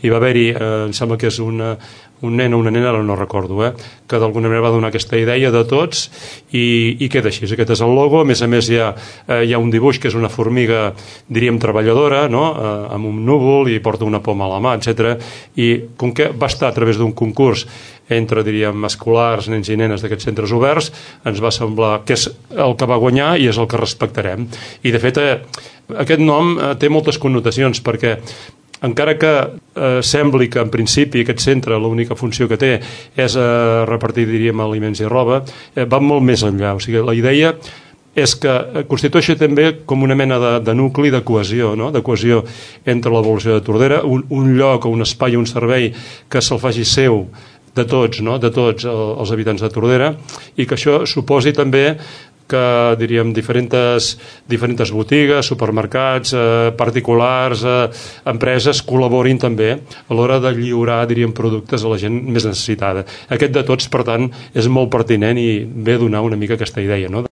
hi va haver-hi, em sembla que és un nen o una nena, ara no recordo, que d'alguna manera va donar aquesta idea de tots i queda així. Aquest és el logo. A més, hi ha un dibuix que és una formiga, diríem, treballadora, no? Amb un núvol i porta una poma a la mà, etc. I com que va estar a través d'un concurs entre, diríem, escolars, nens i nenes d'aquests centres oberts, ens va semblar que és el que va guanyar i és el que respectarem. I, de fet, aquest nom té moltes connotacions, perquè encara que sembli que en principi aquest centre l'única funció que té és repartir, diríem, aliments i roba, va molt més enllà. O sigui, la idea és que constitueixi també com una mena de nucli de cohesió, no? De cohesió entre la població de Tordera, un lloc o un espai o un servei que se'l faci seu de tots, no? De tots els habitants de Tordera, i que això suposi també que, diríem, diferents botigues, supermercats, particulars, empreses col·laborin també a l'hora de lliurar, diríem, productes a la gent més necessitada. Aquest de tots, per tant, és molt pertinent i ve a donar una mica aquesta idea, no?